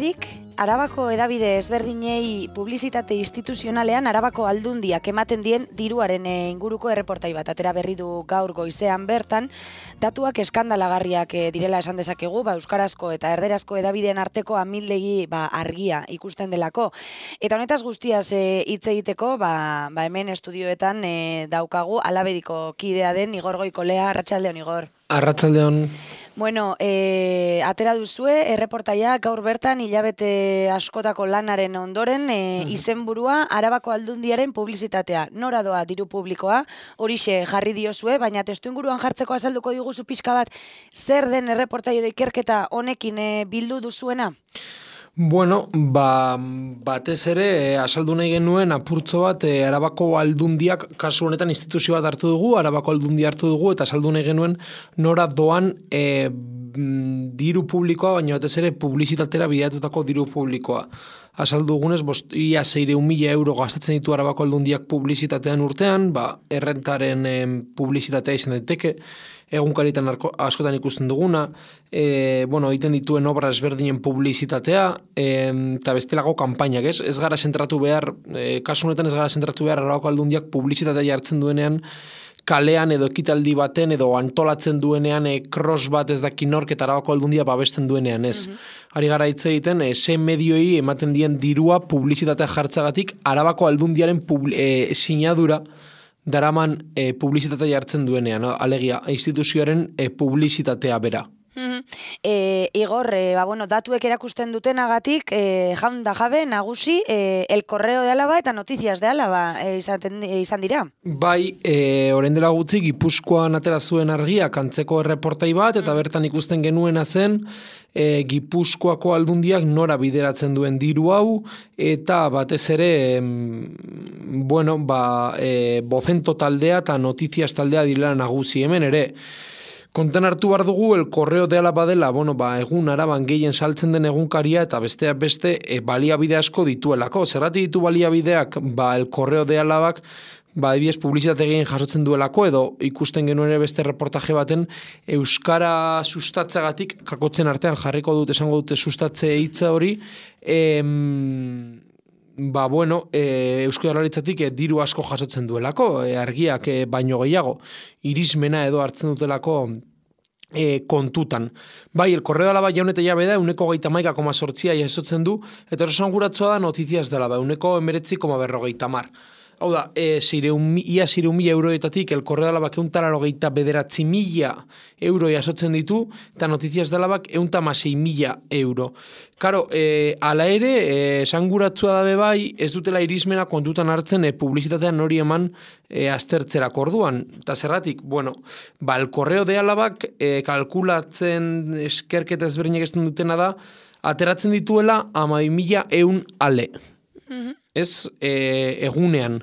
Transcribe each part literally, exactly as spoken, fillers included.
batetik, Arabako edabide ezberdinei publizitate instituzionalean Arabako aldundiak ematen dien diruaren inguruko erreportai bat atera berri du gaur goizean bertan, datuak eskandalagarriak direla esan dezakegu, ba, euskarazko eta erderazko edabideen arteko amildegi ba, argia ikusten delako. Eta honetaz guztiaz hitz e, egiteko, ba, ba hemen estudioetan e, daukagu Alabediko kidea den Igor Goikolea. Arratsaldeon, Igor. Arratsaldeon. Bueno, e, atera duzue, erreportaia gaur bertan hilabete askotako lanaren ondoren e, izenburua Arabako aldundiaren publizitatea. Nora doa diru publikoa, horixe jarri diozue, baina testuinguruan jartzeko azalduko diguzu pixka bat, zer den erreportaia edo ikerketa honekin e, bildu duzuena? Bueno, ba, batez ere, eh, asaldu nahi genuen apurtzo bat eh, Arabako aldundiak, kasu honetan instituzio bat hartu dugu, Arabako aldundia hartu dugu, eta asaldu nahi genuen nora doan eh, diru publikoa, baina batez ere publizitatera bideatutako diru publikoa. Asaldu dugunez, bost, ia seiehun mila euro gastatzen ditu Arabako aldundiak publizitatean urtean, ba, errentaren eh, publizitatea izan daiteke, egunkaritan askotan ikusten duguna, e, bueno, egiten dituen obra ezberdinen publizitatea, e, eta bestelako kanpainak, ez? Ez gara zentratu behar, e, kasu honetan ez gara zentratu behar Arabako aldundiak publizitatea jartzen duenean, kalean edo ekitaldi baten edo antolatzen duenean e, cross bat ez daki nork eta Arabako aldundia babesten duenean, ez? Mm-hmm. Ari gara hitz egiten, e, ze medioi ematen dien dirua publizitatea jartzagatik Arabako aldundiaren publi, e, sinadura daraman e, publizitatea jartzen duenean, no? Alegia, instituzioaren e, publizitatea bera. Mm-hmm. e, Igor, e, ba, bueno, datuek erakusten dutenagatik, e, jaun da jabe, nagusi, e, El Correo de Álava eta Noticias de Álava e, izaten, e, izan dira? Bai, e, orain dela gutxi, Gipuzkoan atera zuen argiak antzeko erreportai bat, eta bertan ikusten genuena zen, E, Gipuzkoako aldundiak nora bideratzen duen diru hau, eta batez ere, em, bueno, ba, e, Bozento taldea eta Noticias taldea direla nagusi hemen ere. Kontan hartu behar dugu, El Correo de Álava dela, bueno, ba, egun Araban gehien saltzen den egunkaria, eta besteak beste e, baliabide asko dituelako. Zerrati ditu baliabideak, ba, El Correo de Álava ba, ebiez publizitate gehien jasotzen duelako, edo ikusten genuen ere beste reportaje baten euskara sustatzagatik, kakotzen artean jarriko dut, esango dute sustatze hitza hori, em, ba, bueno, e, Eusko Jaurlaritzatik e, diru asko jasotzen duelako, e, argiak e, baino gehiago, irismena edo hartzen dutelako E, kontutan. Bai, El Correo de Álava jaun eta jabe da, euneko geita maika koma sortzia jasotzen du, eta erosan guratzua da Noticias de Álava, euneko emeretzi koma berrogeita mar. Hau da, e, zireun, ia zireun mila euroetatik El Correo de Álava euntara logeita bederatzi mila euro jasotzen ditu, eta Noticias de Álava eunta masei mila euro. Karo, e, ala ere, e, esanguratzua dabe bai, ez dutela irismena kontutan hartzen e, publizitatean hori eman e, aztertzerak orduan. Eta zerratik, bueno, ba, El Correo de Álava e, kalkulatzen eskerketa ezberdinak ez dutena da, ateratzen dituela hamabi mila eun ale. Mm-hmm. Ez e, egunean.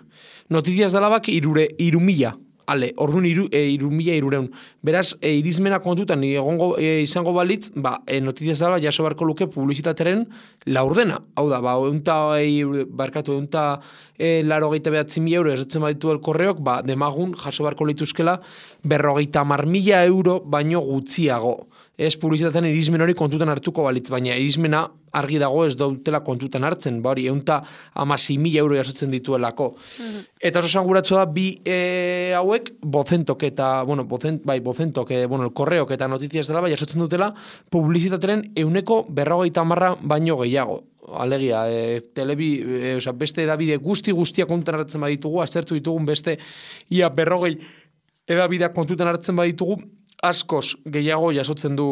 Noticias de Álava irure, irumila, ale, orduan iru, e, irumila irureun. Beraz, e, irizmena kontutan egongo, e, izango balitz, ba, e, Noticias de Álava jaso barko luke publizitateren laurdena. Hau da, ba, eunta, e, barkatu, eunta e, laro geita behatzi mila euro esatzen baditu El Correok, ba, demagun jaso barko lituzkela berrogeita mar mila euro baino gutxiago. Ez publizitatean irizmen hori kontutan hartuko balitz, baina irizmena argi dago ez dautela kontutan hartzen, ba hori, eunta amasei mila euro jasotzen dituelako. Mm-hmm. Eta oso sanguratzu da, bi e, hauek, Bozentok eta, bueno, Bozent, bai, Bozentok, e, bueno, El Correok eta Noticias dela, bai, jasotzen dutela publizitateren euneko berrogeita marra baino gehiago. Alegia, e, telebi, e, oza, beste edabide guzti guztia kontutan hartzen baditugu, aztertu ditugun beste ia berrogei edabideak kontutan hartzen baditugu, askoz gehiago jasotzen du,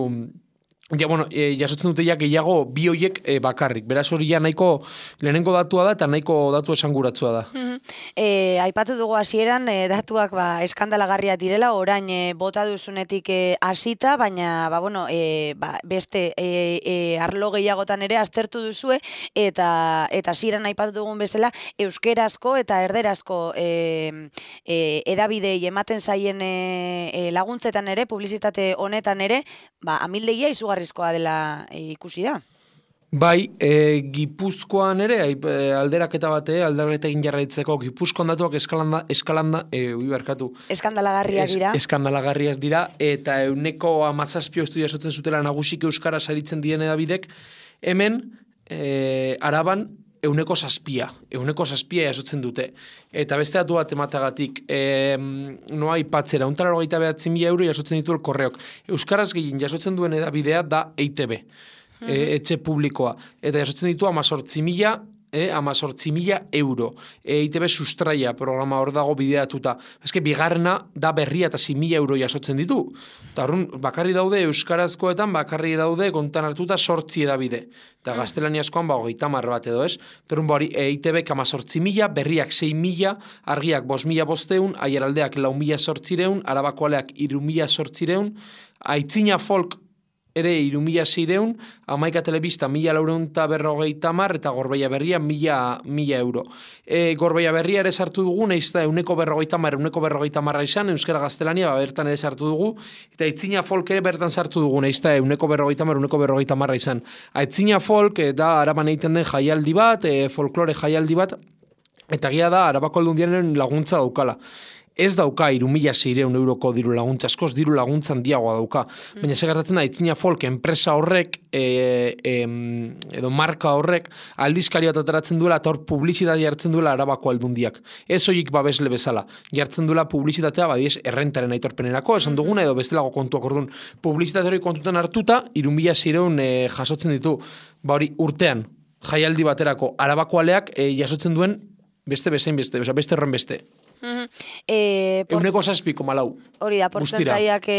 ja, bueno, e, jasotzen dute ja gehiago bi hoiek e, bakarrik. Beraz hori ja nahiko lehenengo datua da eta nahiko datu esanguratsua da. Mm-hmm. e, aipatu dugu hasieran e, datuak ba, eskandalagarriak direla, orain e, bota duzunetik e, hasita, baina ba, bueno, e, ba, beste e, e, arlo gehiagotan ere aztertu duzue, eta eta hasieran aipatu dugun bezala, euskerazko eta erderazko e, e, edabidei ematen zaien e, e, laguntzetan ere, publizitate honetan ere, ba, amildegia izugarrizkoa dela e, ikusi da. Bai, e, Gipuzkoan ere, e, alderaketa bate, alderaketa egin jarraitzeko, Gipuzkoan datuak eskalanda, eskalanda, e, ui barkatu. Eskandalagarriak dira. Es, eskandalagarriak dira, eta euneko amazazpio estudia sotzen zutela nagusik euskara saritzen diren edabidek, hemen, e, Araban euneko zazpia, euneko zazpia jasotzen dute. Eta beste datu bat ematagatik, e, noa ipatzera, untara logeita behatzi mila euro jasotzen ditu elkorreok. Euskaraz gehien jasotzen duen edabidea da E I T B, mm-hmm. e, etxe publikoa. Eta jasotzen ditu amazortzi mila E, amazortzi mila euro. E, I T B sustraia programa hor dago bideatuta. Eske, bigarrena da berria eta zi mila euro jasotzen ditu. Eta horren, bakarri daude euskarazkoetan, bakarri daude kontan hartuta sortzi edabide. Eta gaztelaniazkoan, ba, hogeita hamar bat edo, ez? Terun, ba, hori, E I T B amazortzi mila, berriak sei mila, argiak bost mila bosteun, aieraldeak lau mila sortzireun, arabakoaleak iru mila sortzireun, aitzina folk ere iru mila seireun, amaika telebista mila laureun eta berrogeita mar, eta Gorbeia Berria mila, mila euro. E, Gorbeia Berria ere sartu dugu, nahiz da euneko berrogeita mar, euneko berrogeita marra izan, euskara gaztelania, ba, bertan ere sartu dugu, eta aitzina folk ere bertan sartu dugu, nahiz da euneko berrogeita mar, euneko berrogeita marra izan. Aitzina folk e, da Araban egiten den jaialdi bat, e, folklore jaialdi bat, eta gia da Arabako Aldundiaren laguntza daukala. Ez dauka iru mila seireun euroko diru laguntza, askoz diru laguntza handiagoa dauka. Mm. Baina segartatzen da, Aitzina Folk enpresa horrek, e, e, edo marka horrek, aldizkari bat ateratzen duela, eta hor publizitatea jartzen duela Arabako Aldundiak. Ez hoik babesle bezala. Jartzen duela publizitatea, badiez, errentaren aitorpenerako, esan duguna, edo bestelago kontuak orduan. Publizitate hori kontutan hartuta, iru mila seireun e, jasotzen ditu, ba hori urtean, jaialdi baterako Arabakoaleak e, jasotzen duen beste bezain beste, beste horren beste. Mm-hmm. E, euneko zazpiko malau. Hori da, portzentaiak e,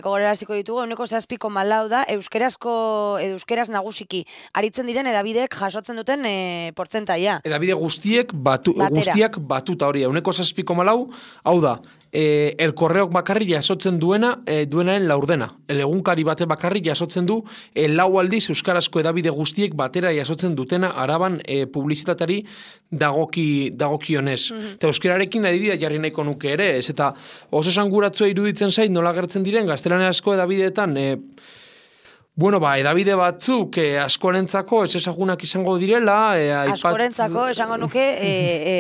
gogoraraziko ditugu, euneko zazpiko malau da, euskerazko, edo euskeraz nagusiki, aritzen diren edabidek jasotzen duten e, portzentaia. Edabide guztiek, batu, guztiak batuta hori, euneko zazpiko malau, hau da, e, elkorreok bakarri jasotzen duena, e, duenaren laurdena. Elegunkari bate bakarri jasotzen du, e, lau aldiz euskarazko edabide guztiek batera jasotzen dutena Araban e, publizitatari dagoki, dagokionez. Mm-hmm. Eta euskerarekin adibidea jarri nahiko nuke ere, ez eta oso esanguratzua iruditzen zait nola gertzen diren gaztelaniazko edabideetan, e, bueno, ba, edabide batzuk e, askorentzako ez ezagunak izango direla. E, aipat... Askorentzako esango nuke, e,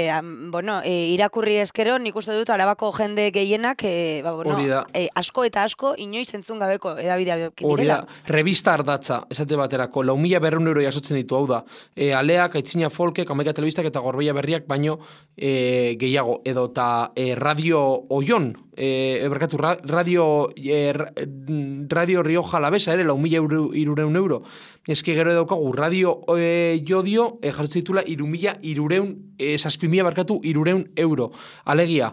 e, bueno, e, irakurri eskero, nik uste dut Arabako jende gehienak, e, ba, bueno, e, asko eta asko inoiz entzun gabeko edabidea direla. Hori da, revista ardatza, esate baterako, lau mila berreun euro jasotzen ditu, hau da, e, aleak, aitzina folkek, amaika telebistak eta Gorbeia Berriak, baino e, gehiago, edo eta e, radio oion, e, eberkatu, radio, e, radio Rioja Alavesa ere, lau mila irureun euro. Eski gero daukagu radio e, jodio e, jasotzen ditula iru mila irureun, e, zazpimila barkatu irureun euro. Alegia,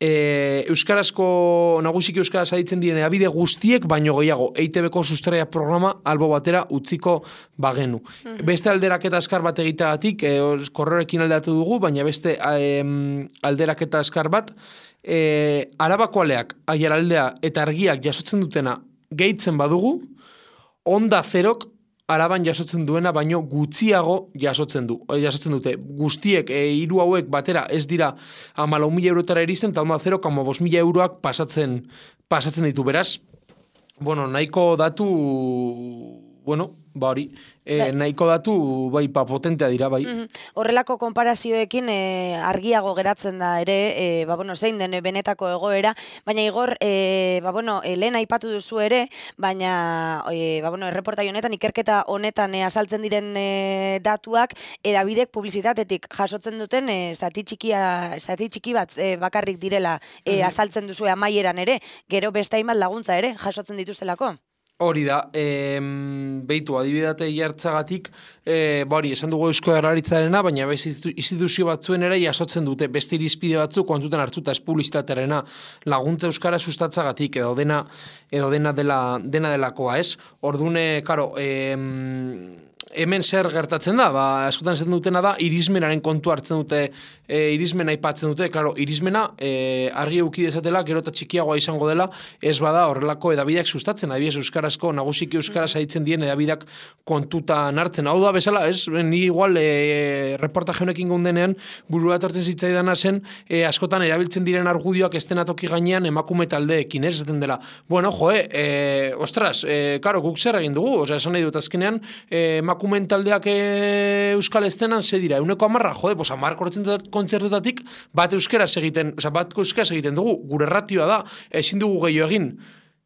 e, euskarazko, nagusiki euskaraz aditzen diren abide guztiek, baino gehiago, E I T B-ko sustraia programa albo batera utziko bagenu. Mm-hmm. Beste alderaketa askar bat egiteagatik, e, korreorekin aldatu dugu, baina beste e, alderaketa askar bat, e, Arabakoaleak, Aiaraldea eta Argiak jasotzen dutena gehitzen badugu, Onda Zerok Araban jasotzen duena, baino gutxiago jasotzen du. Jasotzen dute. Guztiek, e, hiru hauek batera ez dira hamalau mila eurotara iristen, eta Onda Zerok hamabost mila euroak pasatzen, pasatzen ditu. Beraz, bueno, nahiko datu, bueno, ba hori, e, nahiko datu, bai, pa potentea dira, bai. Mm-hmm. Horrelako konparazioekin e, argiago geratzen da ere, e, ba, bueno, zein den benetako egoera, baina Igor, e, ba, bueno, e, lehen aipatu duzu ere, baina, e, ba, bueno, erreportai honetan, ikerketa honetan e, azaltzen diren e, datuak, edabidek publizitatetik jasotzen duten, e, zati txikia, zati txiki bat e, bakarrik direla e, mm-hmm. azaltzen duzu amaieran ere, gero beste hainbat laguntza ere jasotzen dituztelako. Hori da, e, behitu, adibidate jartzagatik, e, bari, esan dugu Eusko Jaurlaritzarena, baina bez instituzio batzuen ere jasotzen dute, beste irizpide batzuk kontutan hartuta ez publizitatearena laguntza euskara sustatzagatik, edo dena, edo dena, dela, dena delakoa, ez? Ordune, karo, e, hemen zer gertatzen da, ba, askotan esaten dutena da, irizmenaren kontu hartzen dute, e, irizmena aipatzen dute, klaro, irizmena e, argi euki dezatela, gero eta txikiagoa izango dela, ez bada horrelako edabideak sustatzen, adibidez euskarazko, nagusiki euskaraz aditzen dien edabideak kontutan hartzen. Hau da bezala, ez, ni igual e, reportaje honekin gundenean, burua etortzen zitzaidana zen, e, askotan erabiltzen diren argudioak estenatoki gainean emakume taldeekin, ez, esaten dela. Bueno, joe, e, ostras, e, karo, guk zer egin dugu, osea, esan nahi dut azkenean, e, emakumeen taldeak e, euskal estenan ze dira, euneko amarra, jode, pues amar kontzertutatik bat euskaraz egiten, osea, bat euskaraz egiten dugu, gure ratioa da, ezin dugu gehiago egin.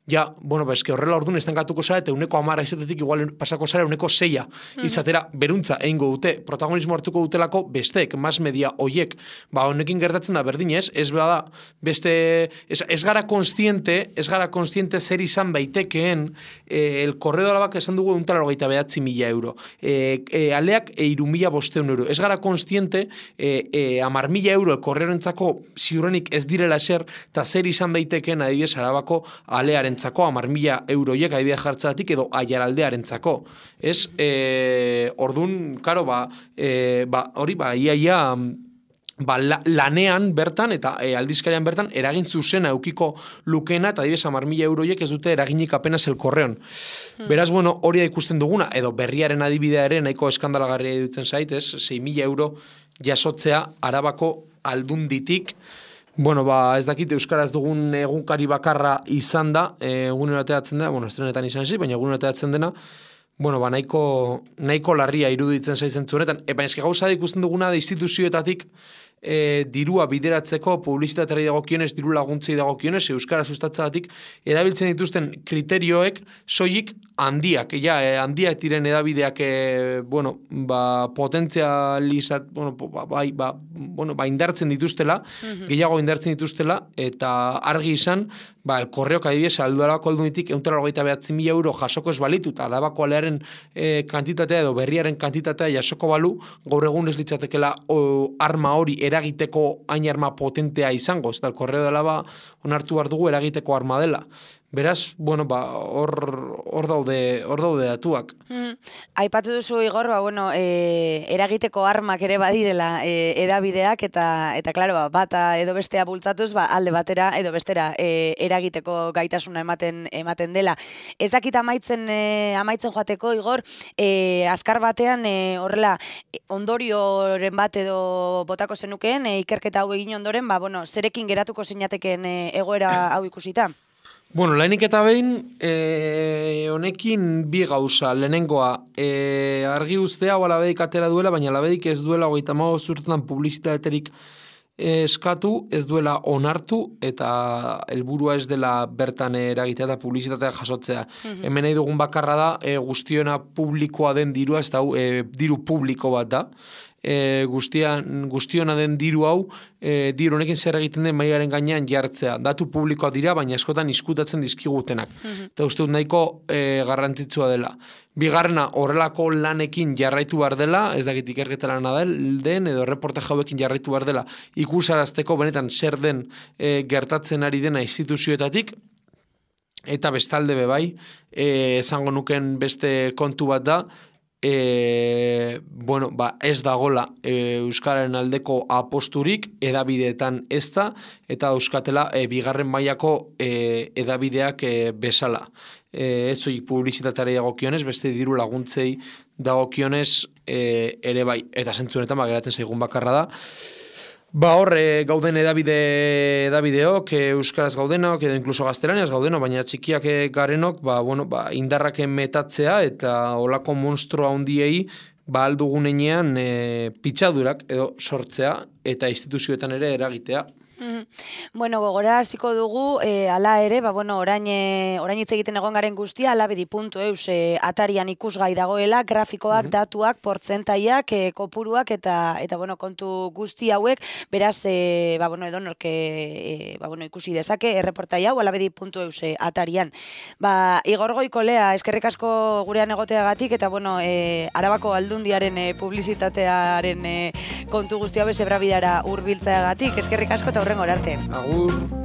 ja, bueno, ba, eske horrela orduan estankatuko zara, eta uneko amara izatetik igual pasako zara uneko seia, izatera beruntza egingo dute, protagonismo hartuko dutelako besteek, mas media oiek, ba, honekin gertatzen da berdin ez, ez bada, beste, ez, ez gara konstiente, ez gara konstiente zer izan daitekeen, eh, el korredo alabak esan dugu euntara hogeita behatzi mila euro, eh, eh, aleak e iru mila bosteun euro, ez gara konstiente, eh, eh, amar mila euro el korreorentzako ziurrenik ez direla eser, eta zer izan daitekeen adibidez Arabako alearentzako amar mila euroiek adibidez jartzatik edo aiaraldearentzako. Ez, e, ordun, karo, ba, e, ba, hori, ba, ia, ia, ba, la, lanean bertan eta e, aldizkarian bertan eragin zuzena eukiko lukena eta adibidez amar mila euroiek ez dute eraginik apenas el korreon. Hmm. Beraz, bueno, hori da ikusten duguna, edo berriaren adibidea ere nahiko eskandalagarria dutzen zait, ez, sei mila euro jasotzea Arabako aldunditik. Bueno, ba, ez dakit euskaraz dugun egunkari bakarra izan da, egunero ateatzen da, bueno, estrenetan izan zi, baina egunero ateatzen dena, bueno, ba, nahiko, nahiko larria iruditzen zaitzen zuenetan. Epa, eski gauza da ikusten duguna da instituzioetatik e, dirua bideratzeko, publizitateari dagokionez, diru laguntzei dagokionez, euskara sustatzagatik, erabiltzen dituzten kriterioek soilik handiak, ja, e, handiak diren edabideak, e, bueno, ba, potentzializat, bueno, ba, bai, ba, bueno, ba, indartzen dituztela, mm-hmm. gehiago indartzen dituztela, eta argi izan, ba, el korreok adibidez, aldo Arabako aldunitik, euntara hogeita behatzi mila euro jasoko ez balitu, eta Arabako alearen e, kantitatea edo berriaren kantitatea jasoko balu, gaur egun ez litzatekela o, arma hori eragiteko hain arma potentea izango, ez da, el korreo dela ba, onartu behar dugu eragiteko arma dela. Beraz, bueno, ba, hor, hor daude, hor daude datuak. Mm. Aipatu duzu, Igor, ba, bueno, e, eragiteko armak ere badirela e, edabideak, eta, eta klaro, ba, bata edo bestea bultzatuz, ba, alde batera edo bestera e, eragiteko gaitasuna ematen ematen dela. Ez dakit amaitzen, e, amaitzen joateko, Igor, e, azkar batean, e, horrela, ondorioren bat edo botako zenukeen, e, ikerketa hau egin ondoren, ba, bueno, zerekin geratuko zinateken e, egoera hau ikusita? Bueno, lehenik eta behin, e, honekin bi gauza, lehenengoa, e, argi ustea hau alabedik atera duela, baina alabedik ez duela hogeita hamabost urtetan publizitaterik eskatu, ez duela onartu, eta helburua ez dela bertan eragitea eta publizitatea jasotzea. Mm-hmm. Hemen nahi dugun bakarra da, e, guztiona publikoa den dirua, ez da, e, diru publiko bat da, E, guztian, guztiona den diru hau, e, diru honekin zer egiten den mailaren gainean jartzea. Datu publikoa dira, baina askotan izkutatzen dizkigutenak. Mm-hmm. Eta uste dut nahiko e, garrantzitsua dela. Bigarrena, horrelako lanekin jarraitu behar dela, ez dakit ikerketa lana den, edo reporte jauekin jarraitu behar dela, ikusarazteko benetan zer den e, gertatzen ari dena instituzioetatik, eta bestalde bebai, e, esango nuken beste kontu bat da, E, bueno, ba, ez dagola e, euskararen aldeko aposturik edabideetan ez da, eta euskatela e, bigarren mailako e, edabideak e, bezala. E, ez zoi publizitateari dagokionez, beste diru laguntzei dagokionez e, ere bai, eta zentzunetan ba, geratzen zaigun bakarra da. Ba hor, e, gauden edabide, edabideok, e, euskaraz gaudenok, edo inkluso gaztelaniaz gaudenok, baina txikiak garenok, ba, bueno, ba, indarrak metatzea eta olako monstrua handiei ba, aldugunean e, pitzadurak edo sortzea eta instituzioetan ere eragitea. Mm. Bueno, gogora hasiko dugu, e, ala ere, ba, bueno, orain, e, orain hitz egiten egon garen guztia, alabedi puntu eus e, atarian ikusgai dagoela, grafikoak, mm-hmm. datuak, portzentaiak, e, kopuruak, eta, eta bueno, kontu guzti hauek, beraz, e, ba, bueno, edonork e, ba, bueno, ikusi dezake, erreportai hau, alabedi puntu eus e, atarian. Ba, Igor Goikolea, eskerrik asko gurean egoteagatik, eta, bueno, e, Arabako aldundiaren e, publizitatearen e, kontu guzti hau ezebrabidara hurbiltzeagatik, eskerrik asko eta hurrengora arte. Agur.